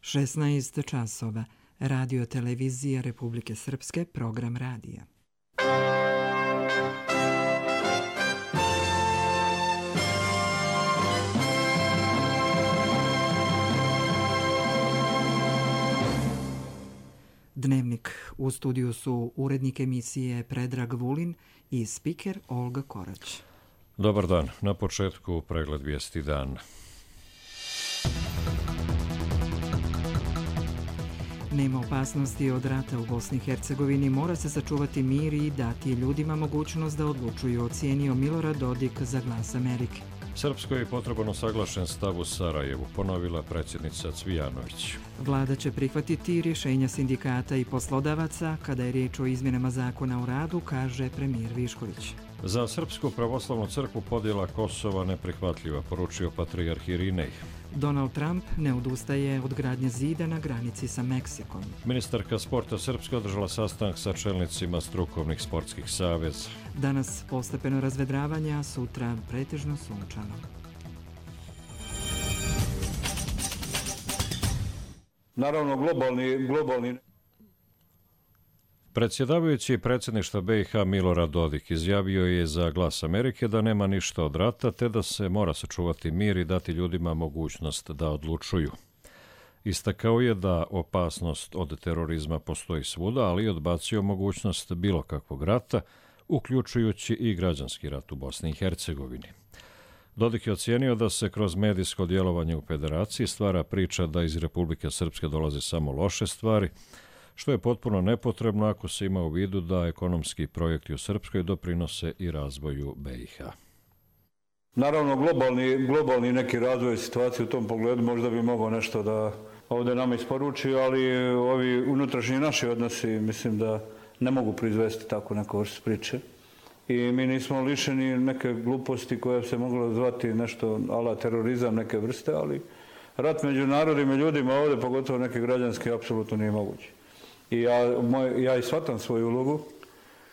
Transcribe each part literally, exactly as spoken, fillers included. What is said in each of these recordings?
šesnaest časova. Radio televizija Republike Srpske, program radija. Dnevnik. U studiju su urednik emisije Predrag Vulin i spiker Olga Korać. Dobar dan. Na početku pregled vijesti dana. Nema opasnosti od rata u Bosni i Hercegovini, mora se sačuvati mir i dati ljudima mogućnost da odlučuju, ocijenio Milorad Dodik za Glas Amerike. Srpskoj je potreban usaglašen stav u Sarajevu, ponovila predsjednica Cvijanović. Vlada će prihvatiti rješenja sindikata i poslodavaca kada je riječ o izmjenama zakona o radu, kaže premijer Višković. Za Srpsku pravoslavnu crkvu podjela Kosova neprihvatljiva, poručio patrijarh Irinej. Donald Trump ne odustaje od gradnje zida na granici sa Meksikom. Ministarka sporta Srpske održala sastanak sa čelnicima strukovnih sportskih saveza. Danas postepeno razvedravanje, a sutra pretežno sunčano. Naravno, globalni... globalni... Predsjedavajući predsjedništva B i H Milorad Dodik izjavio je za Glas Amerike da nema ništa od rata, te da se mora sačuvati mir i dati ljudima mogućnost da odlučuju. Istakao je da opasnost od terorizma postoji svuda, ali odbacio mogućnost bilo kakvog rata, uključujući i građanski rat u Bosni i Hercegovini. Dodik je ocijenio da se kroz medijsko djelovanje u federaciji stvara priča da iz Republike Srpske dolaze samo loše stvari, što je potpuno nepotrebno ako se ima u vidu da ekonomski projekti u Srpskoj doprinose i razvoju B i H. Naravno, globalni, globalni neki razvoj situacije u tom pogledu možda bi mogao nešto da ovdje nama isporuči, ali ovi unutrašnji naši odnosi mislim da ne mogu proizvesti tako neku vrstu priče. I mi nismo lišeni neke gluposti koja se mogla zvati nešto ala terorizam neke vrste, ali rat među narodima i ljudima ovdje, pogotovo neki građanski, apsolutno nije moguće. I ja, moj, ja i shvatam svoju ulogu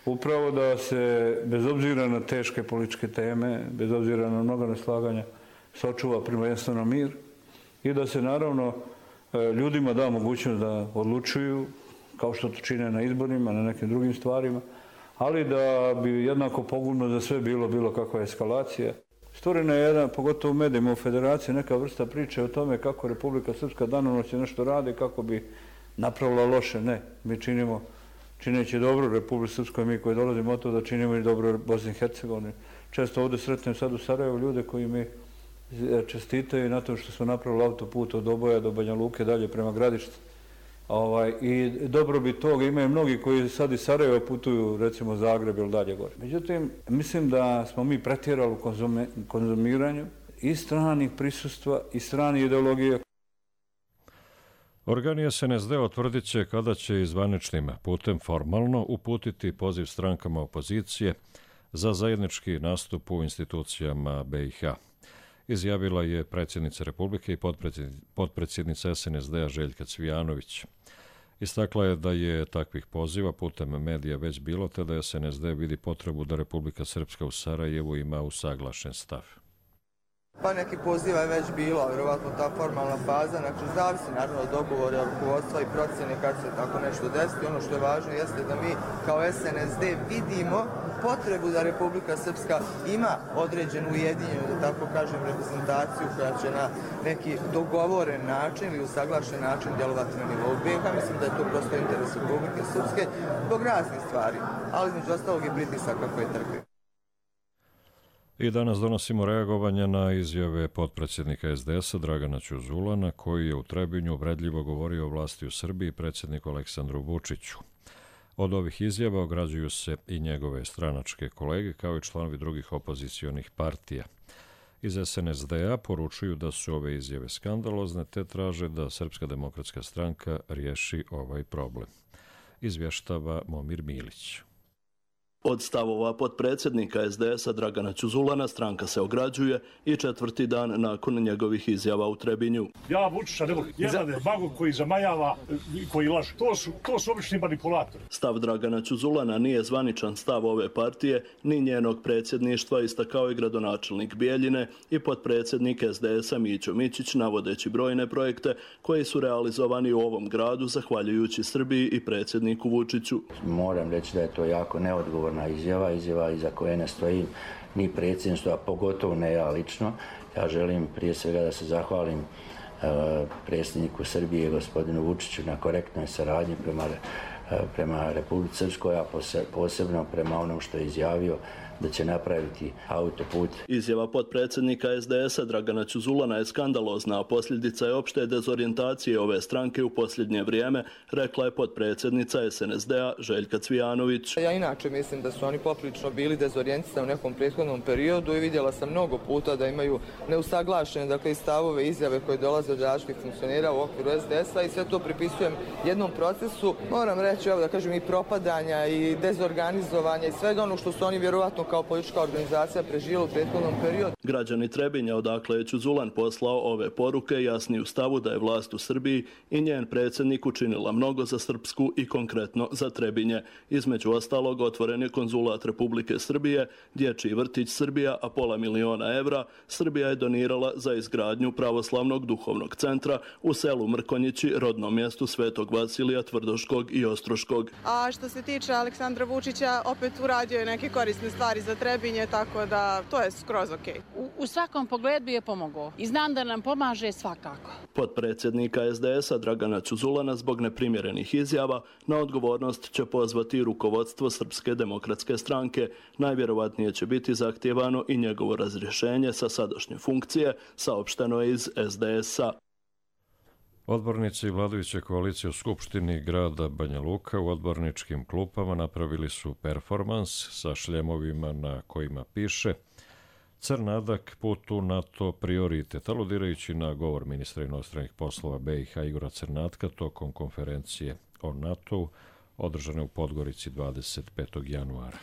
upravo da se, bez obzira na teške političke teme, bez obzira na mnogo neslaganja, sačuva prvenstveno mir i da se naravno ljudima da mogućnost da odlučuju, kao što to čine na izborima, na nekim drugim stvarima, ali da bi jednako pogubno za sve bilo bilo kakva eskalacija. Stvorena je jedna, pogotovo u medijima u federaciji, neka vrsta priče o tome kako Republika Srpska danonoćno nešto radi, kako bi napravila loše. Ne, mi činimo, čineći dobro Republike Srpskoj, mi koji dolazimo od to da činimo i dobro Bosni i Hercegovini. Često ovdje sretnem sad u Sarajevu ljude koji mi čestitaju na to što smo napravili autoput od Oboja do Banja Luke dalje prema Gradištu. Ovaj, I dobro bi toga, imaju mnogi koji sad iz Sarajeva putuju recimo Zagreb ili dalje gore. Međutim, mislim da smo mi pretjerali u konzume, konzumiranju i stranih prisustva i stranih ideologija. Organi S N S D otvrdit će kada će zvaničnim putem formalno uputiti poziv strankama opozicije za zajednički nastup u institucijama B i H. Izjavila je predsjednica Republike i potpredsjednica S N S D-a Željka Cvijanović. Istakla je da je takvih poziva putem medija već bilo, te da S N S D vidi potrebu da Republika Srpska u Sarajevu ima usaglašen stav. Pa neki poziva je već bilo, vjerovatno ta formalna faza, znači zavisi naravno dogovore rukovodstva i procjene kad se tako nešto desiti. Ono što je važno jeste da mi kao S N S D vidimo potrebu da Republika Srpska ima određenu ujedinjenu, da tako kažem, reprezentaciju koja će na neki dogovoren način ili usaglašen način djelovati na nivou B i H. Mislim da je to prosto interes Republike Srpske zbog raznih stvari, ali između ostalog i pritisaka koje trpi. I danas donosimo reagovanje na izjave potpredsjednika S D S-a Dragana Ćuzulana, koji je u Trebinju uvredljivo govorio o vlasti u Srbiji i predsjedniku Aleksandru Vučiću. Od ovih izjava ograđuju se i njegove stranačke kolege, kao i članovi drugih opozicionih partija. Iz S N S D-a poručuju da su ove izjave skandalozne, te traže da Srpska demokratska stranka riješi ovaj problem. Izvještava Momir Milić. Od stavova potpredsjednika es de esa Dragana Ćuzulana stranka se ograđuje i četvrti dan nakon njegovih izjava u Trebinju. Ja Vučića ne volim. Jedan je magog koji zamajava, koji laže. To su, to su obični manipulatori. Stav Dragana Ćuzulana nije zvaničan stav ove partije ni njenog predsjedništva, istakao i gradonačelnik Bijeljine i potpredsjednik es de esa Mićo Mićić, navodeći brojne projekte koji su realizovani u ovom gradu zahvaljujući Srbiji i predsjedniku Vučiću. Moram reći da je to jako neodgovorna izjava, izjava iza koje ne stojim ni predsjedništvo, a pogotovo ne ja lično. Ja želim prije svega da se zahvalim e, predsjedniku Srbije, gospodinu Vučiću, na korektnoj saradnji prema, e, prema Republici Srpskoj, a posebno prema onom što je izjavio da će napraviti autoput. Izjava potpredsjednika es de esa Dragana Ćuzulana je skandalozna, a posljedica je opšte dezorijentacije ove stranke u posljednje vrijeme, rekla je potpredsjednica es en es de a Željka Cvijanović. Ja inače mislim da su oni poprilično bili dezorijentisani u nekom prethodnom periodu i vidjela sam mnogo puta da imaju neusaglašene, dakle, stavove, izjave koje dolaze od različitih funkcionera u okviru es de esa i sve to pripisujem jednom procesu, moram reći, evo da kažem, i propadanja i dezorganizovanja i svega ono što su oni vjerovatno kao politička organizacija preživjela u prethodnom periodu. Građani Trebinja, odakle je Ćuzulan poslao ove poruke, jasni u stavu da je vlast u Srbiji i njen predsjednik učinila mnogo za Srpsku i konkretno za Trebinje. Između ostalog, otvoren je konzulat Republike Srbije, dječji vrtić Srbija, a pola miliona evra Srbija je donirala za izgradnju pravoslavnog duhovnog centra u selu Mrkonjići, rodnom mjestu Svetog Vasilija Tvrdoškog i Ostroškog. A što se tiče Aleksandra Vučića, opet uradio je neke korisne stvari za Trebinje, tako da to je skroz okej. U, u svakom pogledu je pomogao i znam da nam pomaže svakako. Potpredsjednika es de esa Dragana Ćuzulana zbog neprimjerenih izjava na odgovornost će pozvati rukovodstvo Srpske demokratske stranke. Najvjerovatnije će biti zahtijevano i njegovo razrješenje sa sadašnje funkcije, saopšteno je iz es de esa. Odbornici vladajuće koalicije u Skupštini grada Banja Luka u odborničkim klupama napravili su performans sa šljemovima na kojima piše Crnadak put u NATO prioritet, aludirajući na govor ministra inostranih poslova be i ha Igora Crnatka tokom konferencije o NATO-u održane u Podgorici dvadeset petog januara.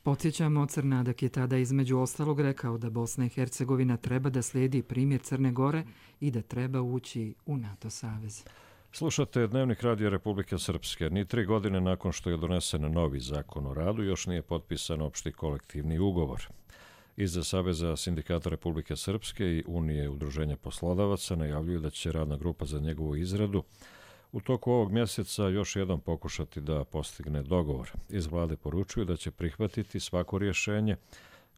Podsjećamo, Crnadak je tada između ostalog rekao da Bosna i Hercegovina treba da slijedi primjer Crne Gore i da treba ući u NATO savez. Slušate Dnevnik radija Republike Srpske. Ni tri godine nakon što je donesen novi zakon o radu, još nije potpisan opšti kolektivni ugovor. Iza Saveza sindikata Republike Srpske i Unije udruženja poslodavaca najavljuju da će radna grupa za njegovu izradu u toku ovog mjeseca još jednom pokušati da postigne dogovor. Iz vlade poručuju da će prihvatiti svako rješenje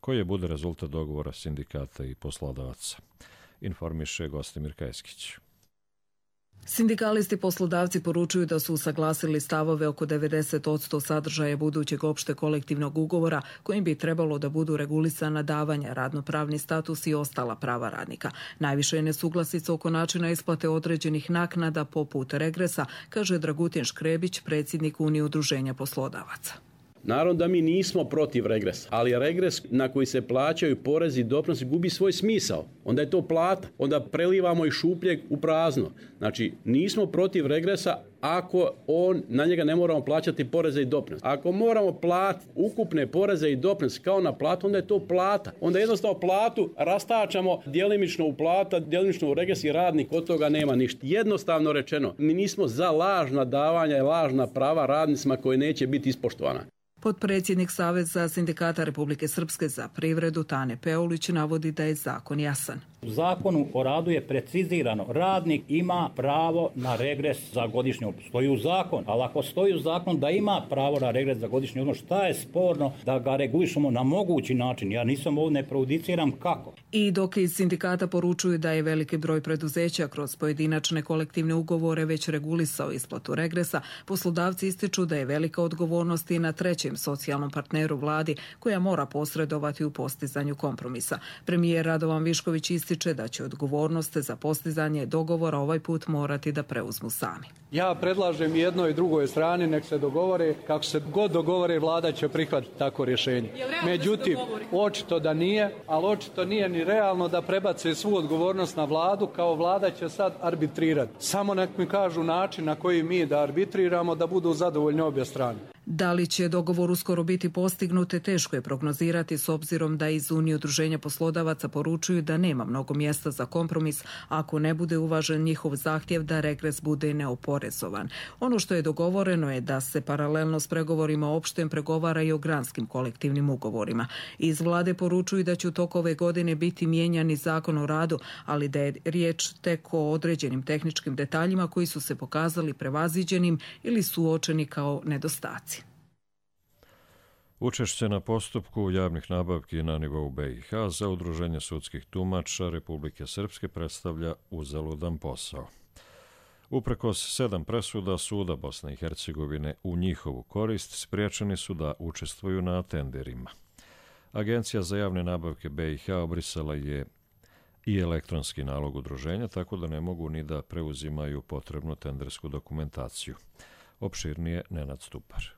koje bude rezultat dogovora sindikata i poslodavaca. Informiše Gostimir Kajskić. Sindikalisti poslodavci poručuju da su usaglasili stavove oko devedeset posto sadržaja budućeg opšte kolektivnog ugovora kojim bi trebalo da budu regulisana davanja, radnopravni status i ostala prava radnika. Najviše je nesuglasica oko načina isplate određenih naknada poput regresa, kaže Dragutin Škrebić, predsjednik Unije udruženja poslodavaca. Naravno da mi nismo protiv regresa, ali regres na koji se plaćaju porezi i doprinosi gubi svoj smisao. Onda je to plata, onda prelivamo iz šupljeg u prazno. Znači, nismo protiv regresa ako on, na njega ne moramo plaćati poreze i doprinose. Ako moramo platiti ukupne poreze i doprinose kao na platu, onda je to plata. Onda jednostavno platu rastačamo djelimično u plata, djelimično u regres i radnik od toga nema ništa. Jednostavno rečeno, mi nismo za lažna davanja i lažna prava radnicima koje neće biti ispoštovana. Potpredsjednik Saveza sindikata Republike Srpske za privredu Tane Peulić navodi da je zakon jasan. U zakonu o radu je precizirano, radnik ima pravo na regres za godišnji odmor. Stoji u zakon, ali ako stoji u zakon da ima pravo na regres za godišnji odmor, šta je sporno da ga regulišemo na mogući način? Ja nisam ovdje, ne prejudiciram kako. I dok iz sindikata poručuju da je veliki broj preduzeća kroz pojedinačne kolektivne ugovore već regulisao isplatu regresa, poslodavci ističu da je velika odgovornost i na trećem socijalnom partneru vladi koja mora posredovati u postizanju kompromisa. Premijer Radovan Višković ističe da će odgovornost za postizanje dogovora ovaj put morati da preuzmu sami. Ja predlažem jednoj i drugoj strani nek se dogovore, kako se god dogovore vlada će prihvatiti tako rješenje. Međutim, očito da nije, ali očito nije ni realno da prebace svu odgovornost na vladu, kao vlada će sad arbitrirati. Samo nek mi kažu način na koji mi da arbitriramo da budu zadovoljni obje strane. Da li će dogovor uskoro biti postignut, teško je prognozirati s obzirom da iz Unije udruženja poslodavaca poručuju da nema mnogo mjesta za kompromis ako ne bude uvažen njihov zahtjev da regres bude neoporezovan. Ono što je dogovoreno je da se paralelno s pregovorima opštem pregovara i o granskim kolektivnim ugovorima. Iz vlade poručuju da će u toku ove godine biti mijenjani zakon o radu, ali da je riječ tek o određenim tehničkim detaljima koji su se pokazali prevaziđenim ili suočeni kao nedostaci. Učešće na postupku javnih nabavki na nivou B i H za Udruženje sudskih tumača Republike Srpske predstavlja uzaludan posao. Uprkos sedam presuda suda Bosne i Hercegovine u njihovu korist spriječeni su da učestvuju na tenderima. Agencija za javne nabavke B i H obrisala je i elektronski nalog udruženja, tako da ne mogu ni da preuzimaju potrebnu tendersku dokumentaciju. Opširnije Nenad Stupar.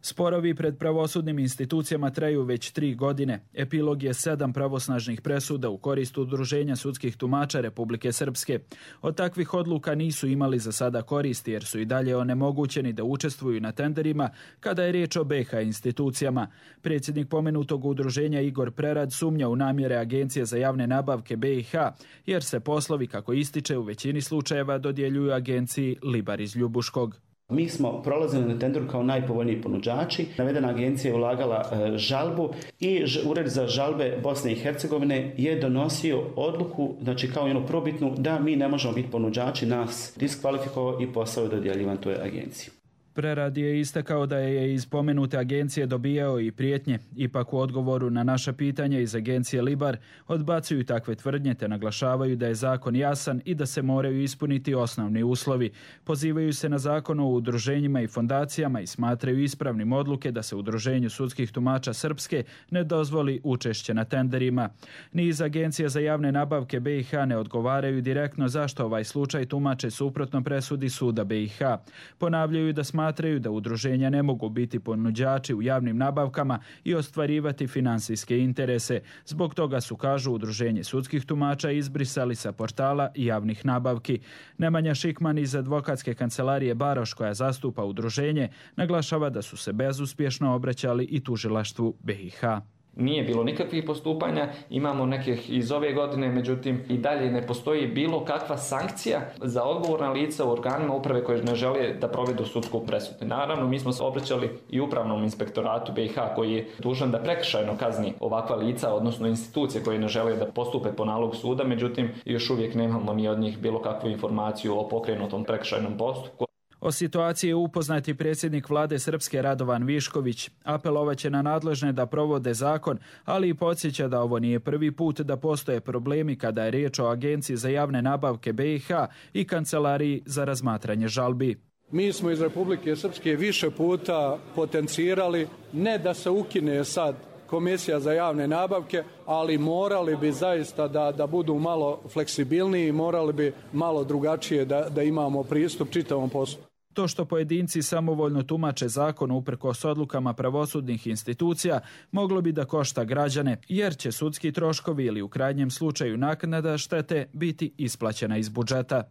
Sporovi pred pravosudnim institucijama traju već tri godine. Epilog je sedam pravosnažnih presuda u korist Udruženja sudskih tumača Republike Srpske. Od takvih odluka nisu imali za sada koristi jer su i dalje onemogućeni da učestvuju na tenderima kada je riječ o B i H institucijama. Predsjednik pomenutog udruženja Igor Prerad sumnja u namjere Agencije za javne nabavke B i H jer se poslovi, kako ističe, u većini slučajeva dodjeljuju agenciji Libar iz Ljubuškog. Mi smo prolazili na tenderu kao najpovoljniji ponuđači. Navedena agencija je ulagala e, žalbu i ž, Ured za žalbe Bosne i Hercegovine je donosio odluku, znači kao jednu probitnu, da mi ne možemo biti ponuđači, nas diskvalifikovao i posao je dodjeljivan toj agenciji. Prerad je istakao da je iz pomenute agencije dobijao i prijetnje. Ipak u odgovoru na naša pitanja iz agencije Libar odbacuju takve tvrdnje te naglašavaju da je zakon jasan i da se moraju ispuniti osnovni uslovi. Pozivaju se na zakon o udruženjima i fondacijama i smatraju ispravnim odluke da se Udruženju sudskih tumača Srpske ne dozvoli učešće na tenderima. Ni iz Agencije za javne nabavke B i H ne odgovaraju direktno zašto ovaj slučaj tumače suprotno presudi suda B i H. Ponavljaju da smatraju da udruženja ne mogu biti ponuđači u javnim nabavkama i ostvarivati finansijske interese. Zbog toga su, kažu, Udruženje sudskih tumača izbrisali sa portala javnih nabavki. Nemanja Šikman iz advokatske kancelarije Baroš, koja zastupa udruženje, naglašava da su se bezuspješno obraćali i tužilaštvu B i H. Nije bilo nikakvih postupanja, imamo nekih iz ove godine, međutim i dalje ne postoji bilo kakva sankcija za odgovorna lica u organima uprave koje ne žele da provedu sudsku presudu. Naravno, mi smo se obraćali i upravnom inspektoratu B i H koji je dužan da prekršajno kazni ovakva lica, odnosno institucije koje ne žele da postupe po nalogu suda, međutim još uvijek nemamo ni od njih bilo kakvu informaciju o pokrenutom prekršajnom postupku. O situaciji je upoznat i predsjednik vlade Srpske Radovan Višković. Apelovaće na nadležne da provode zakon, ali i podsjeća da ovo nije prvi put da postoje problemi kada je riječ o Agenciji za javne nabavke B i H i Kancelariji za razmatranje žalbi. Mi smo iz Republike Srpske više puta potencirali ne da se ukine sad Komisija za javne nabavke, ali morali bi zaista da, da budu malo fleksibilniji, morali bi malo drugačije da, da imamo pristup čitavom poslu. To što pojedinci samovoljno tumače zakon uprkos odlukama pravosudnih institucija moglo bi da košta građane, jer će sudski troškovi ili u krajnjem slučaju naknada štete biti isplaćena iz budžeta.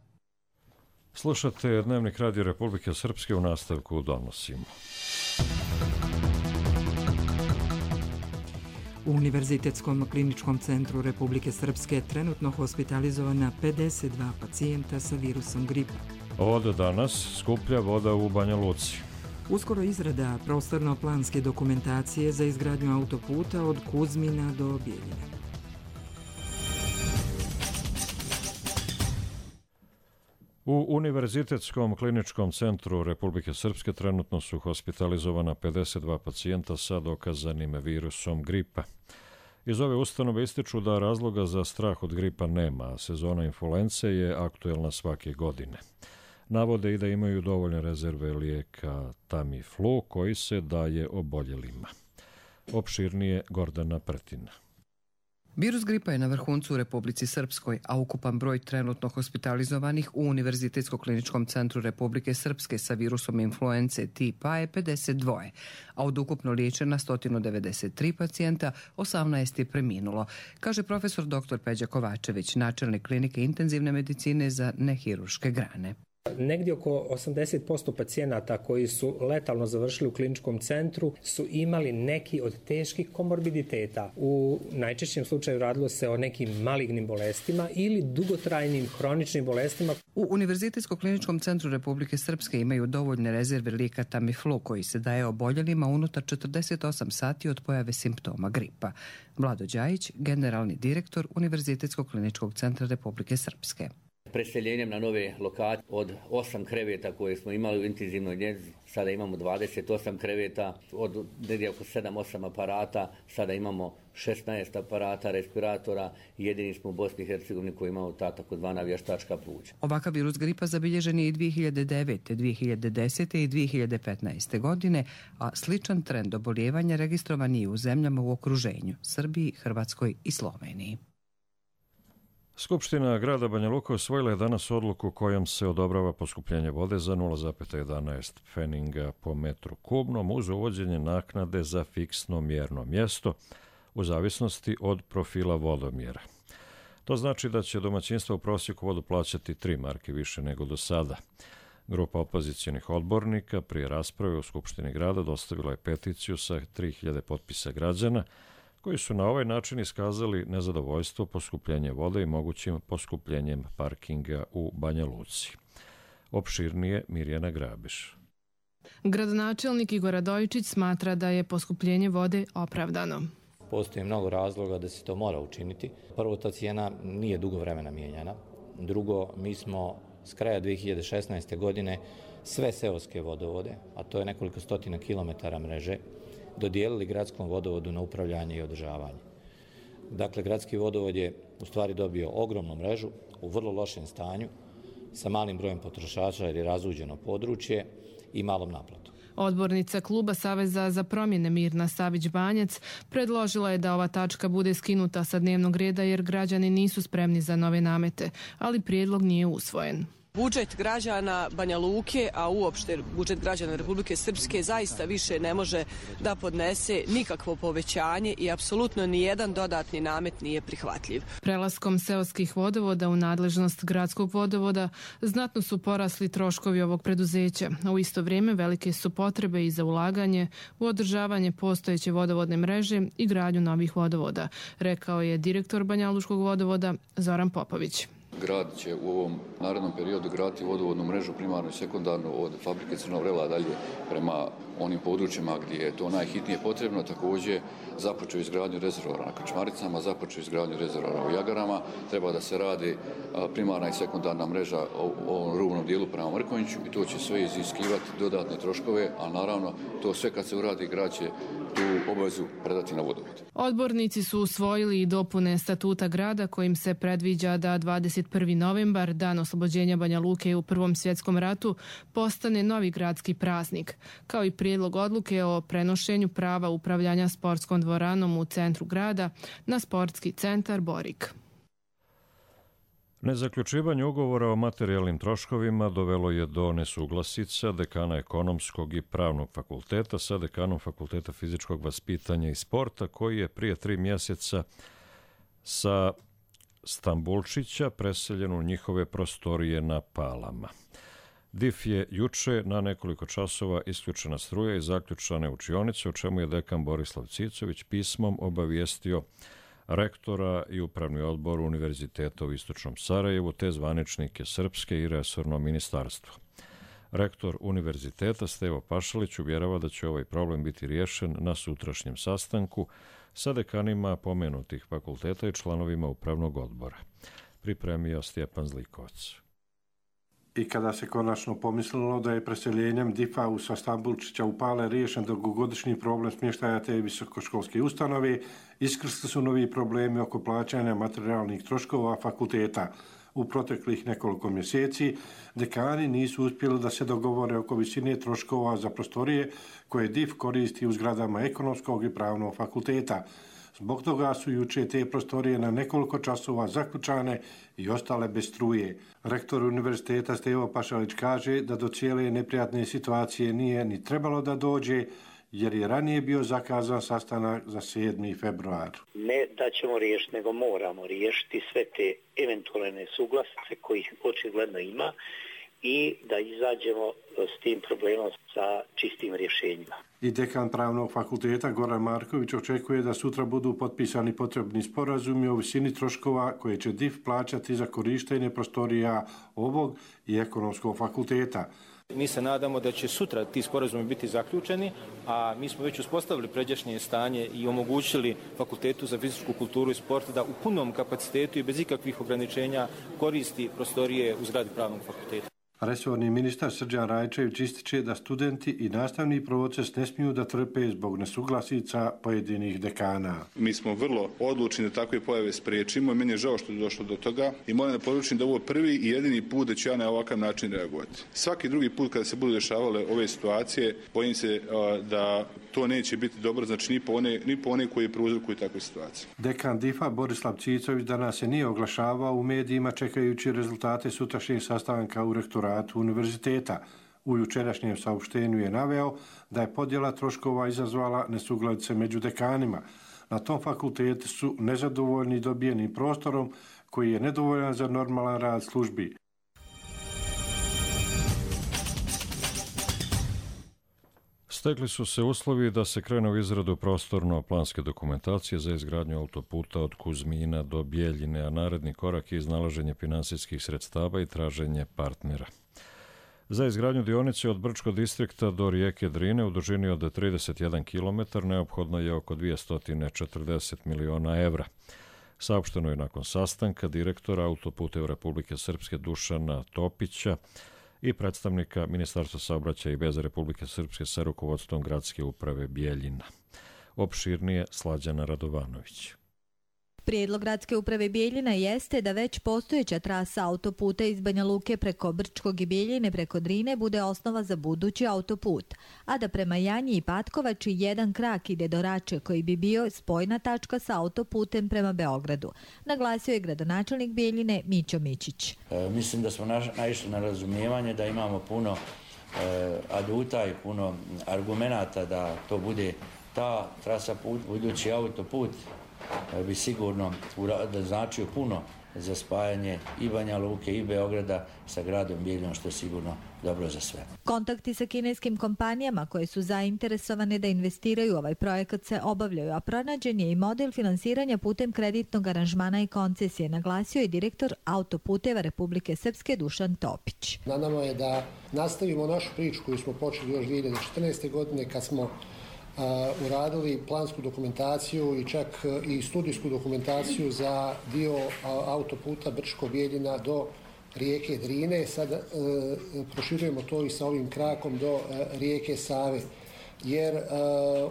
Slušate Dnevnik Radio Republike Srpske, u nastavku donosimo. U Univerzitetskom kliničkom centru Republike Srpske trenutno hospitalizovana pedeset dva pacijenta sa virusom gripa. Od danas skuplja voda u Banja Luci. Uskoro izrada prostorno-planske dokumentacije za izgradnju autoputa od Kuzmina do Bijeljine. U Univerzitetskom kliničkom centru Republike Srpske trenutno su hospitalizovana pedeset dva pacijenta sa dokazanim virusom gripa. Iz ove ustanove ističu da razloga za strah od gripa nema, a sezona influence je aktuelna svake godine. Navode i da imaju dovoljne rezerve lijeka Tamiflu koji se daje oboljelima. Opširnije Gordana Pretina. Virus gripa je na vrhuncu u Republici Srpskoj, a ukupan broj trenutno hospitalizovanih u Univerzitetsko kliničkom centru Republike Srpske sa virusom influence tipa je pedeset dva, a od ukupno liječena sto devedeset tri pacijenta osamnaest je preminulo, kaže profesor doktor Peđa Kovačević, načelnik klinike intenzivne medicine za nehirurške grane. Negdje oko osamdeset posto pacijenata koji su letalno završili u kliničkom centru su imali neki od teških komorbiditeta. U najčešćem slučaju radilo se o nekim malignim bolestima ili dugotrajnim hroničnim bolestima. U Univerzitetsko-kliničkom centru Republike Srpske imaju dovoljne rezerve lijeka Tamiflu koji se daje oboljelima unutar četrdeset osam sati od pojave simptoma gripa. Vlado Đajić, generalni direktor Univerzitetsko-kliničkog centra Republike Srpske. Preseljenjem na nove lokacije od osam kreveta koje smo imali u intenzivnoj njezi, sada imamo dvadeset osam kreveta, od negdje oko sedam osam aparata, sada imamo šesnaest aparata, respiratora i jedini smo u Bosni i Hercegovini koji imamo ta takozvana vještačka pluća. Ovakav virus gripa zabilježen je i dvije hiljade devete, dvije hiljade desete i dvije hiljade petnaeste. godine, a sličan trend oboljevanja registrovan je u zemljama u okruženju, Srbiji, Hrvatskoj i Sloveniji. Skupština grada Banja Luka usvojila je danas odluku kojom se odobrava poskupljenje vode za nula zarez jedanaest pfeninga po metru kubnom uz uvođenje naknade za fiksno mjerno mjesto u zavisnosti od profila vodomjera. To znači da će domaćinstva u prosjeku vodu plaćati tri marke više nego do sada. Grupa opozicionih odbornika prije rasprave u Skupštini grada dostavila je peticiju sa tri hiljade potpisa građana koji su na ovaj način iskazali nezadovoljstvo poskupljenjem vode i mogućim poskupljenjem parkinga u Banja Luci. Opširnije Mirjana Grabiš. Gradonačelnik Igor Radojičić smatra da je poskupljenje vode opravdano. Postoji mnogo razloga da se to mora učiniti. Prvo, ta cijena nije dugo vremena mijenjana. Drugo, mi smo s kraja dvije hiljade šesnaeste. godine sve seoske vodovode, a to je nekoliko stotina kilometara mreže, dodijelili gradskom vodovodu na upravljanje i održavanje. Dakle, gradski vodovod je u stvari dobio ogromnu mrežu u vrlo lošem stanju, sa malim brojem potrošača jer je razuđeno područje i malom naplatom. Odbornica kluba Saveza za promjene Mirna Savić-Banjac predložila je da ova tačka bude skinuta sa dnevnog reda jer građani nisu spremni za nove namete, ali prijedlog nije usvojen. Budžet građana Banja Luke, a uopšte budžet građana Republike Srpske zaista više ne može da podnese nikakvo povećanje i apsolutno nijedan dodatni namet nije prihvatljiv. Prelaskom seoskih vodovoda u nadležnost gradskog vodovoda znatno su porasli troškovi ovog preduzeća, a u isto vrijeme velike su potrebe i za ulaganje u održavanje postojeće vodovodne mreže i gradnju novih vodovoda, rekao je direktor Banjaluškog vodovoda Zoran Popović. Grad će u ovom narednom periodu graditi vodovodnu mrežu primarnu i sekundarnu od fabrike Crnog Vrela dalje prema onim područjima gdje je to najhitnije potrebno. Također započeo izgradnju rezervoara na Krčmaricama, započeo izgradnju rezervoara u Jagarama. Treba da se radi primarna i sekundarna mreža u ovom rubnom dijelu prema Mrkonjiću i to će sve iziskivati dodatne troškove, a naravno to sve kad se uradi grad će tu obavezu predati na vodovod. Odbornici su usvojili i dopune statuta grada kojim se predviđa da dvadeset prvi novembar, dan oslobođenja Banja Luke u Prvom svjetskom ratu, postane novi gradski praznik, kao i prijedlog odluke o prenošenju prava upravljanja sportskom dvoranom u centru grada na sportski centar Borik. Nezaključivanje ugovora o materijalnim troškovima dovelo je do nesuglasica dekana ekonomskog i pravnog fakulteta sa dekanom fakulteta fizičkog vaspitanja i sporta koji je prije tri mjeseca sa Stambulčića preseljen u njihove prostorije na Palama. D I F je juče na nekoliko časova isključena struja i zaključane učionice, o čemu je dekan Borislav Cicović pismom obavijestio rektora i upravni odbor Univerziteta u Istočnom Sarajevu te zvaničnike Srpske i resorno ministarstvo. Rektor Univerziteta Stevo Pašalić uvjerava da će ovaj problem biti riješen na sutrašnjem sastanku sa dekanima pomenutih fakulteta i članovima upravnog odbora. Pripremio Stjepan Zlikovac. I kada se konačno pomislilo da je preseljenjem D I F-a sa Stambulčića u Pale riješen dugogodišnji problem smještaja te visokoškolske ustanove, iskrsli su novi problemi oko plaćanja materijalnih troškova fakulteta. U proteklih nekoliko mjeseci dekani nisu uspjeli da se dogovore oko visine troškova za prostorije koje D I F koristi u zgradama ekonomskog i pravnog fakulteta. Zbog toga su juče te prostorije na nekoliko časova zaključane i ostale bez struje. Rektor Univerziteta Stevo Pašalić kaže da do cijele neprijatne situacije nije ni trebalo da dođe, jer je ranije bio zakazan sastanak za sedmi februar. Ne da ćemo riješiti, nego moramo riješiti sve te eventualne nesuglasice kojih očigledno ima i da izađemo s tim problemom sa čistim rješenjima. I dekan Pravnog fakulteta Goran Marković očekuje da sutra budu potpisani potrebni sporazumi o visini troškova koje će D I F plaćati za korištenje prostorija ovog i ekonomskog fakulteta. Mi se nadamo da će sutra ti sporazumi biti zaključeni, a mi smo već uspostavili pređašnje stanje i omogućili Fakultetu za fizičku kulturu i sport da u punom kapacitetu i bez ikakvih ograničenja koristi prostorije u zgradi Pravnog fakulteta. Resorni ministar Srđan Rajčević ističe da studenti i nastavni proces ne smiju da trpe zbog nesuglasica pojedinih dekana. Mi smo vrlo odlučni da takve pojave spriječimo i meni je žao što je došlo do toga i moram da poručim da ovo je prvi i jedini put da ću ja na ovakav način reagovati. Svaki drugi put kada se budu dešavale ove situacije, bojim se da to neće biti dobro, znači ni po one, ni po one koji prouzrokuju takve situacije. Dekan D I F-a Borislav Cicović danas se nije oglašavao u medijima čekajući rezultate sutrašnjeg sastanka u rektoratu univerziteta. U jučerašnjem saopštenju je naveo da je podjela troškova izazvala nesuglasice među dekanima. Na tom fakultetu su nezadovoljni dobijenim prostorom koji je nedovoljan za normalan rad službi. Stekli su se uslovi da se krene u izradu prostorno-planske dokumentacije za izgradnju autoputa od Kuzmina do Bjeljine, a naredni korak je iznalaženje finansijskih sredstava i traženje partnera. Za izgradnju dionice od Brčkog distrikta do rijeke Drine u dužini od trideset jedan kilometar neophodno je oko dvjesto četrdeset miliona evra. Saopšteno je nakon sastanka direktora Autoputeva Republike Srpske Dušana Topića i predstavnika Ministarstva saobraćaja i veza Republike Srpske sa rukovodstvom gradske uprave Bijeljina. Opširnije Slađana Radovanović. Prijedlog gradske uprave Bijeljina jeste da već postojeća trasa autoputa iz Banja Luke preko Brčkog i Bijeljine preko Drine bude osnova za budući autoput, a da prema Janji i Patkovači jedan krak ide do Rače koji bi bio spojna tačka sa autoputem prema Beogradu, naglasio je gradonačelnik Bijeljine Mićo Mićić. E, mislim da smo naišli na razumijevanje da imamo puno e, aduta i puno argumenata da to bude ta trasa put, budući autoput bi sigurno da značio puno za spajanje i Banja Luke i Beograda sa gradom Bijeljinom, što je sigurno dobro za sve. Kontakti sa kineskim kompanijama koje su zainteresovane da investiraju u ovaj projekat se obavljaju, a pronađen je i model finansiranja putem kreditnog aranžmana i koncesije, naglasio je direktor Autoputeva Republike Srpske Dušan Topić. Na nama je da nastavimo našu priču koju smo počeli još dvije hiljade četrnaeste. godine kad smo Uh, uradili plansku dokumentaciju i čak uh, i studijsku dokumentaciju za dio uh, autoputa Brčko-Bijeljina do rijeke Drine. Sad uh, proširujemo to i sa ovim krakom do uh, rijeke Save. Jer uh,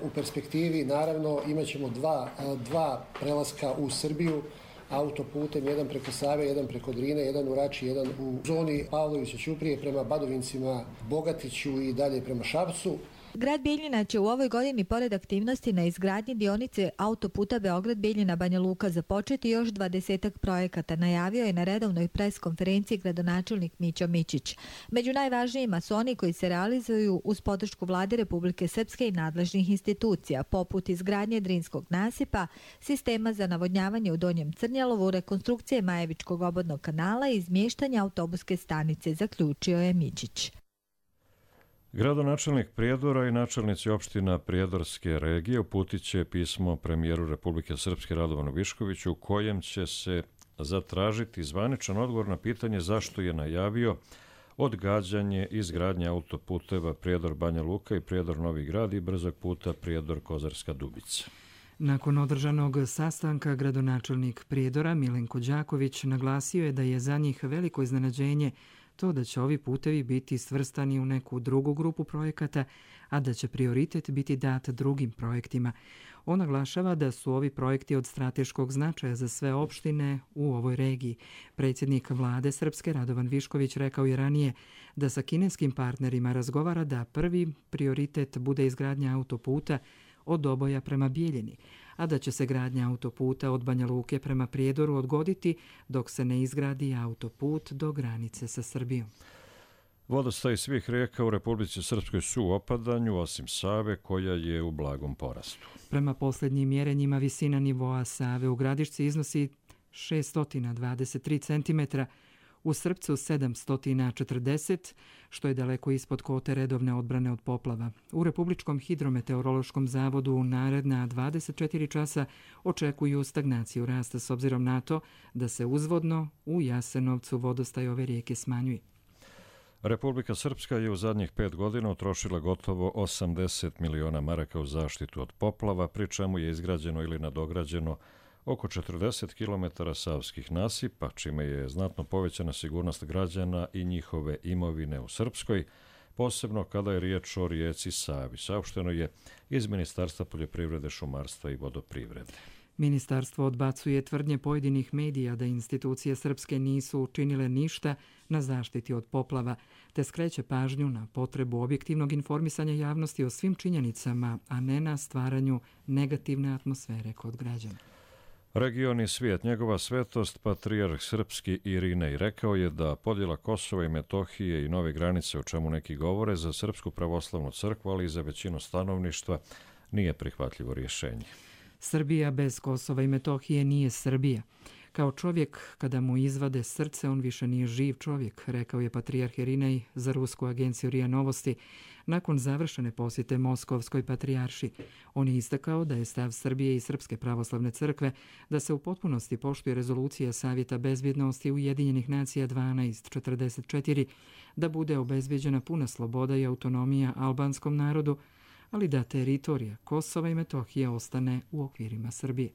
u perspektivi naravno imat ćemo dva, uh, dva prelaska u Srbiju autoputem, jedan preko Save, jedan preko Drine, jedan u Rači, jedan u zoni Pavlovića-Ćuprije prema Badovincima, Bogatiću i dalje prema Šapcu. Grad Bijeljina će u ovoj godini pored aktivnosti na izgradnji dionice autoputa Beograd-Bijeljina-Banja Luka započeti još dvadesetak projekata, najavio je na redovnoj pres konferenciji gradonačelnik Mićo Mićić. Među najvažnijima su oni koji se realizuju uz podršku Vlade Republike Srpske i nadležnih institucija, poput izgradnje Drinskog nasipa, sistema za navodnjavanje u Donjem Crnjalovu, rekonstrukcije Majevičkog obodnog kanala i izmještanja autobuske stanice, zaključio je Mićić. Gradonačelnik Prijedora i načelnici opština Prijedorske regije uputit će pismo premijeru Republike Srpske Radovanu Viškoviću u kojem će se zatražiti zvaničan odgovor na pitanje zašto je najavio odgađanje izgradnje autoputeva Prijedor-Banja Luka i Prijedor-Novi Grad i brzog puta Prijedor-Kozarska Dubica. Nakon održanog sastanka gradonačelnik Prijedora Milenko Đaković naglasio je da je za njih veliko iznenađenje to da će ovi putevi biti svrstani u neku drugu grupu projekata, a da će prioritet biti dat drugim projektima. On naglašava da su ovi projekti od strateškog značaja za sve opštine u ovoj regiji. Predsjednik Vlade Srpske Radovan Višković rekao je ranije da sa kineskim partnerima razgovara da prvi prioritet bude izgradnja autoputa od Doboja prema Bijeljini, a da će se gradnja autoputa od Banja Luke prema Prijedoru odgoditi dok se ne izgradi autoput do granice sa Srbijom. Vodostaj svih rijeka u Republici Srpskoj su u opadanju, osim Save koja je u blagom porastu. Prema posljednjim mjerenjima visina nivoa Save u Gradišci iznosi šessto dvadeset tri centimetra, u Srpcu sedamsto četrdeset, što je daleko ispod kvote redovne odbrane od poplava. U Republičkom hidrometeorološkom zavodu u naredna dvadeset četiri časa očekuju stagnaciju rasta s obzirom na to da se uzvodno u Jasenovcu vodostaj ove rijeke smanjuje. Republika Srpska je u zadnjih pet godina utrošila gotovo osamdeset miliona maraka u zaštitu od poplava, pri čemu je izgrađeno ili nadograđeno oko četrdeset kilometara savskih nasipa, čime je znatno povećana sigurnost građana i njihove imovine u Srpskoj, posebno kada je riječ o rijeci Savi, saopšteno je iz Ministarstva poljoprivrede, šumarstva i vodoprivrede. Ministarstvo odbacuje tvrdnje pojedinih medija da institucije srpske nisu učinile ništa na zaštiti od poplava, te skreće pažnju na potrebu objektivnog informisanja javnosti o svim činjenicama, a ne na stvaranju negativne atmosfere kod građana. Region i svijet, njegova svetost, patrijarh srpski Irinej, rekao je da podjela Kosova i Metohije i nove granice, o čemu neki govore, za Srpsku pravoslavnu crkvu, ali i za većinu stanovništva, nije prihvatljivo rješenje. Srbija bez Kosova i Metohije nije Srbija. Kao čovjek, kada mu izvade srce, on više nije živ čovjek, rekao je patrijarh Irinej za rusku agenciju R I A Novosti nakon završene posjete Moskovskoj patrijarši. On je istakao da je stav Srbije i Srpske pravoslavne crkve da se u potpunosti poštuje rezolucija Savjeta bezbjednosti Ujedinjenih nacija dvanaest četrdeset četiri, da bude obezbjeđena puna sloboda i autonomija albanskom narodu, ali da teritorija Kosova i Metohije ostane u okvirima Srbije.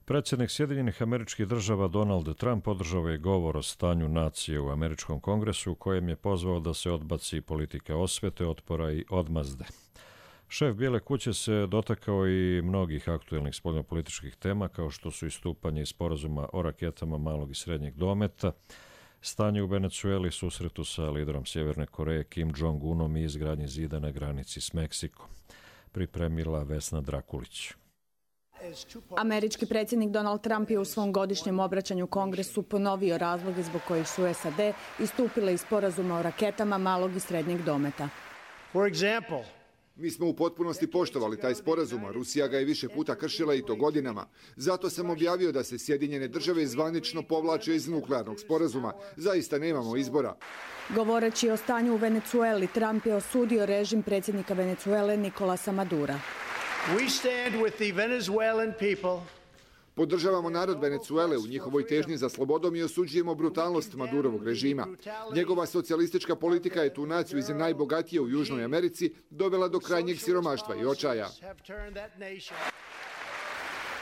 Predsjednik Sjedinjenih Američkih Država Donald Trump održao je govor o stanju nacije u Američkom kongresu u kojem je pozvao da se odbaci politika osvete, otpora i odmazde. Šef Bijele kuće se dotakao i mnogih aktuelnih spoljnopolitičkih tema kao što su istupanje iz sporazuma o raketama malog i srednjeg dometa, stanje u Venecueli, susretu sa liderom Sjeverne Koreje Kim Jong-unom i izgradnji zida na granici s Meksikom. Pripremila Vesna Drakulić. Američki predsjednik Donald Trump je u svom godišnjem obraćanju Kongresu ponovio razloge zbog kojih su S A D istupile iz sporazuma o raketama malog i srednjeg dometa. For example, mi smo u potpunosti poštovali taj sporazum, a Rusija ga je više puta kršila i to godinama. Zato sam objavio da se Sjedinjene države zvanično povlače iz nuklearnog sporazuma. Zaista nemamo izbora. Govoreći o stanju u Venecueli, Trump je osudio režim predsjednika Venecuele Nicolasa Madura. We stand with the Venezuelan people. Podržavamo narod Venecuele u njihovoj težnji za slobodom i osuđujemo brutalnost Madurovog režima. Njegova socijalistička politika je tu naciju iz najbogatije u Južnoj Americi dovela do krajnjeg siromaštva i očaja.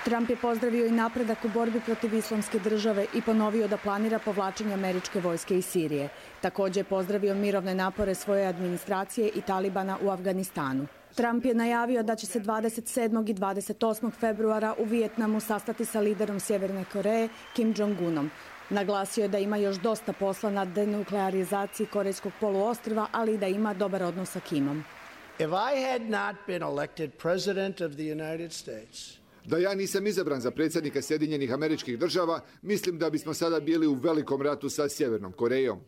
Trump je pozdravio i napredak u borbi protiv islamske države i ponovio da planira povlačenje američke vojske iz Sirije. Također je pozdravio mirovne napore svoje administracije i Talibana u Afganistanu. Trump je najavio da će se dvadeset sedmog i dvadeset osmog februara u Vijetnamu sastati sa liderom Sjeverne Koreje Kim Jong-unom. Naglasio je da ima još dosta posla na denuklearizaciji Korejskog poluostrva, ali i da ima dobar odnos sa Kimom. If I had not been elected president of the United States, da ja nisam izabran za predsjednika Sjedinjenih Američkih Država, mislim da bismo sada bili u velikom ratu sa Sjevernom Korejom.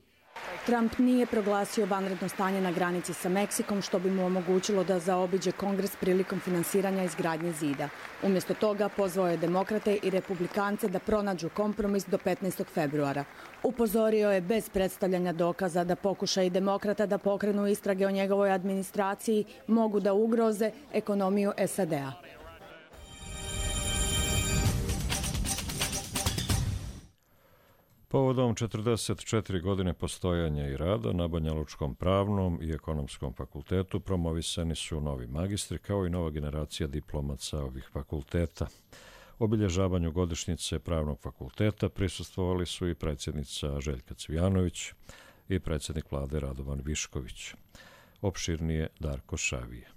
Trump nije proglasio vanredno stanje na granici sa Meksikom, što bi mu omogućilo da zaobiđe Kongres prilikom finansiranja izgradnje zida. Umjesto toga pozvao je demokrate i republikance da pronađu kompromis do petnaestog februara. Upozorio je bez predstavljanja dokaza da pokušaj demokrata da pokrenu istrage o njegovoj administraciji mogu da ugroze ekonomiju S A D-a. Povodom četrdeset četiri godine postojanja i rada na Banjalučkom pravnom i ekonomskom fakultetu promovisani su novi magistri kao i nova generacija diplomaca ovih fakulteta. Obilježavanju godišnjice Pravnog fakulteta prisustvovali su i predsjednica Željka Cvijanović i predsjednik vlade Radovan Višković. Opširnije Darko Šavije.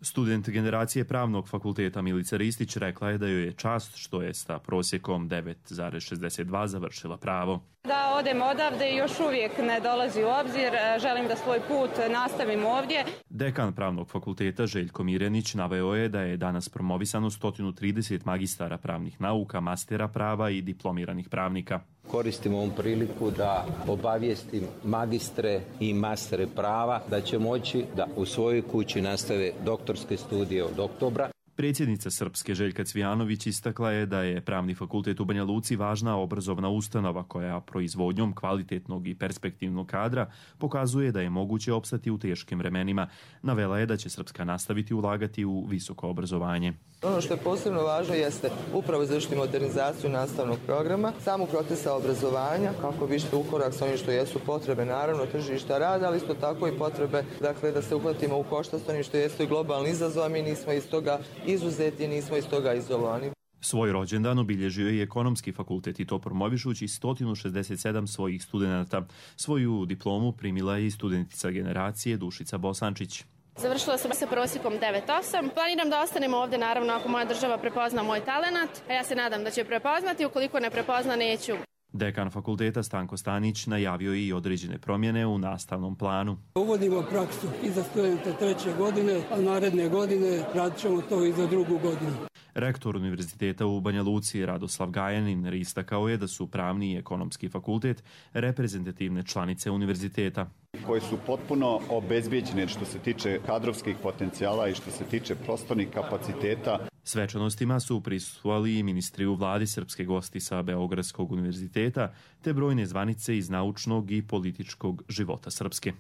Student generacije Pravnog fakulteta Milica Ristić rekla je da joj je čast što je sa prosjekom devet zarez šezdeset dva završila pravo. Da odem odavde još uvijek ne dolazi u obzir, želim da svoj put nastavim ovdje. Dekan Pravnog fakulteta Željko Mirenić naveo je da je danas promovisano sto trideset magistara pravnih nauka, mastera prava i diplomiranih pravnika. Koristim ovom priliku da obavijestim magistre i mastere prava da će moći da u svojoj kući nastave doktorske studije od oktobra. Predsjednica Srpske Željka Cvijanović istakla je da je Pravni fakultet u Banja Luci važna obrazovna ustanova koja proizvodnjom kvalitetnog i perspektivnog kadra pokazuje da je moguće opstati u teškim vremenima. Navela je da će Srpska nastaviti ulagati u visoko obrazovanje. Ono što je posebno važno jeste upravo izvršiti modernizaciju nastavnog programa, samu procesa obrazovanja, kako bi išli u korak sa onim što jesu potrebe, naravno, tržišta rada, ali isto tako i potrebe, dakle, da se uhvatimo u koštac s onim što jesu i globalni izazov, a mi nismo iz toga izuzeti, nismo iz toga izolovani. Svoj rođendan obilježio je i ekonomski fakultet i to promovišući sto šezdeset sedam svojih studenata. Svoju diplomu primila je i studentica generacije Dušica Bosančić. Završila sam sa prosjekom devet osam. Planiram da ostanem ovdje, naravno, ako moja država prepozna moj talenat, a ja se nadam da će prepoznati, ukoliko ne prepozna, neću. Dekan fakulteta Stanko Stanić najavio je i određene promjene u nastavnom planu. Uvodimo praksu i za studente treće godine, a naredne godine radit ćemo to i za drugu godinu. Rektor Univerziteta u Banja Luci Radoslav Gajanin istakao je da su Pravni i Ekonomski fakultet reprezentativne članice univerziteta, koje su potpuno obezbijeđene što se tiče kadrovskih potencijala i što se tiče prostornih kapaciteta. Svečanostima su prisustvovali i ministri u vladi, srpske gosti sa Beogradskog univerziteta, te brojne zvanice iz naučnog i političkog života Srpske.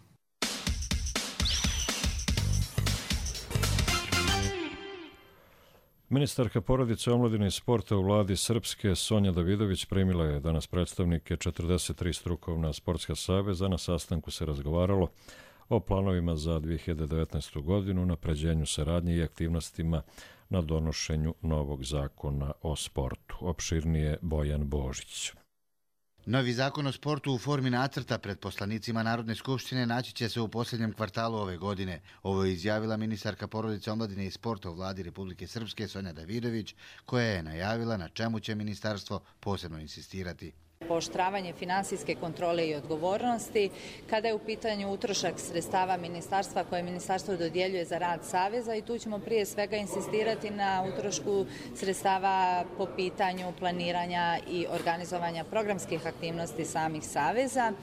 Ministarka porodice, omladine i sporta u vladi Srpske Sonja Davidović primila je danas predstavnike četrdeset tri strukovna sportska saveza. Na sastanku se razgovaralo o planovima za dvije hiljade devetnaestu. godinu, unapređenju saradnje i aktivnostima na donošenju novog zakona o sportu. Opširnije Bojan Božić. Novi zakon o sportu u formi nacrta pred poslanicima Narodne skupštine naći će se u posljednjem kvartalu ove godine. Ovo je izjavila ministarka porodice, omladine i sporta u vladi Republike Srpske Sonja Davidović, koja je najavila na čemu će ministarstvo posebno insistirati. Pooštravanje finansijske kontrole i odgovornosti, kada je u pitanju utrošak sredstava ministarstva koje ministarstvo dodjeljuje za rad saveza, i tu ćemo prije svega insistirati na utrošku sredstava po pitanju planiranja i organizovanja programskih aktivnosti samih saveza.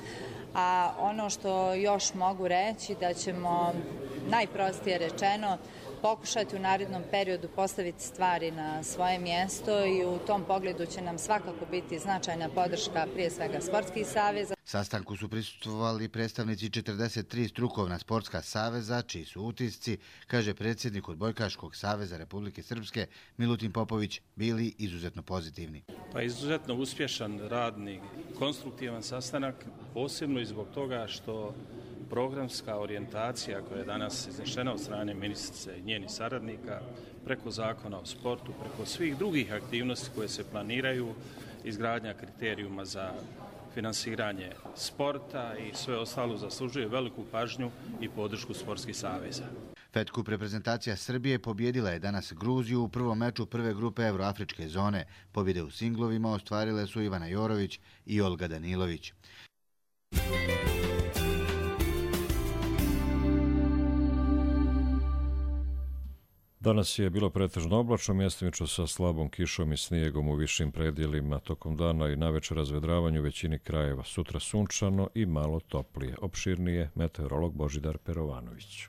A ono što još mogu reći da ćemo, najprostije rečeno, pokušati u narednom periodu postaviti stvari na svoje mjesto i u tom pogledu će nam svakako biti značajna podrška prije svega sportskih saveza. Sastanku su prisustvovali predstavnici četrdeset tri strukovna sportska saveza, čiji su utisci, kaže predsjednik Odbojkaškog saveza Republike Srpske Milutin Popović, bili izuzetno pozitivni. Pa izuzetno uspješan, radni, konstruktivan sastanak, posebno i zbog toga što programska orijentacija koja je danas iznešena od strane ministrice i njenih saradnika preko zakona o sportu, preko svih drugih aktivnosti koje se planiraju, izgradnja kriterijuma za finansiranje sporta i sve ostalo zaslužuje veliku pažnju i podršku sportskih saveza. Fed Cup reprezentacija Srbije pobjedila je danas Gruziju u prvom meču prve grupe Evroafričke zone. Pobjede u singlovima ostvarile su Ivana Jorović i Olga Danilović. Danas je bilo pretežno oblačno, mjestimično sa slabom kišom i snijegom u višim predjelima. Tokom dana i navečer razvedravanju u većini krajeva. Sutra sunčano i malo toplije. Opširnije meteorolog Božidar Perovanović.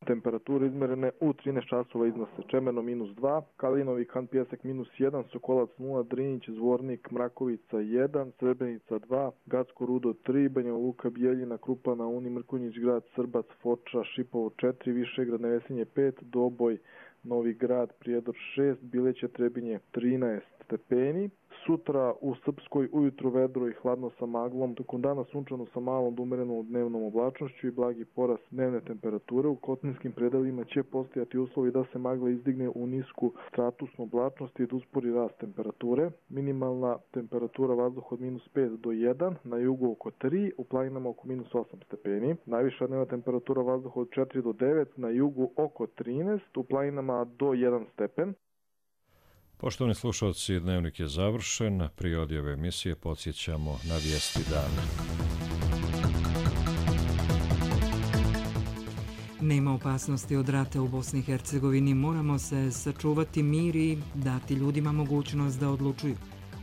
Temperature izmerene u trinaest časova iznose Čemerno minus dva, Kalinovi kan Pjesak minus jedan, Sokolac nula, Drinić, Zvornik, Mrakovica jedan, Srebrenica dva, Gacko Rudo tri, Banja Luka, Bijeljina, Krupana, Uni, Mrkonjić, Grad, Srbac, Foča, Šipovo četiri, Višegrad, Nevesinje pet, Doboj, Novi Grad, Prijedor šest, Bileće, Trebinje trinaest stepeni. Sutra u Srpskoj ujutru vedro i hladno sa maglom, tokom dana sunčano sa malom do umerenom dnevnom oblačnošću i blagi porast dnevne temperature. U kotinskim predelima će postojati uslovi da se magla izdigne u nisku stratusnu oblačnost i da uspori rast temperature. Minimalna temperatura vazduha od minus pet do jedan, na jugu oko tri, u planinama oko minus osam stepeni. Najviša dnevna temperatura vazduha od četiri do devet, na jugu oko trinaest, u planinama do jedan stepen. Poštovani slušalci, dnevnik je završen. Prije odjave emisije podsjećamo na vijesti dana. Nema opasnosti od rata u Bosni i Hercegovini. Moramo se sačuvati mir i dati ljudima mogućnost da odlučuju,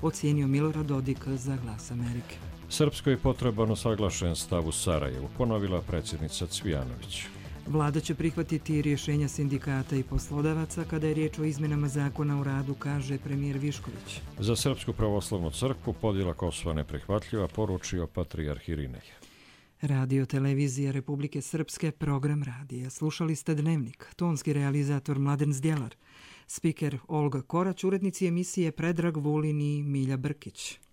ocijenio Milorad Dodik za Glas Amerike. Srpskoj je potreban usaglašen stav u Sarajevu, ponovila predsjednica Cvijanović. Vlada će prihvatiti rješenja sindikata i poslodavaca kada je riječ o izmjenama zakona o radu, kaže premijer Višković. Za Srpsku pravoslavnu crkvu podjela Kosova neprihvatljiva, poručio patrijarh Irinej. Radio Televizija Republike Srpske, program radija. Slušali ste Dnevnik, tonski realizator Mladen Zdjelar, spiker Olga Korać, urednici emisije Predrag Vulin i Milja Brkić.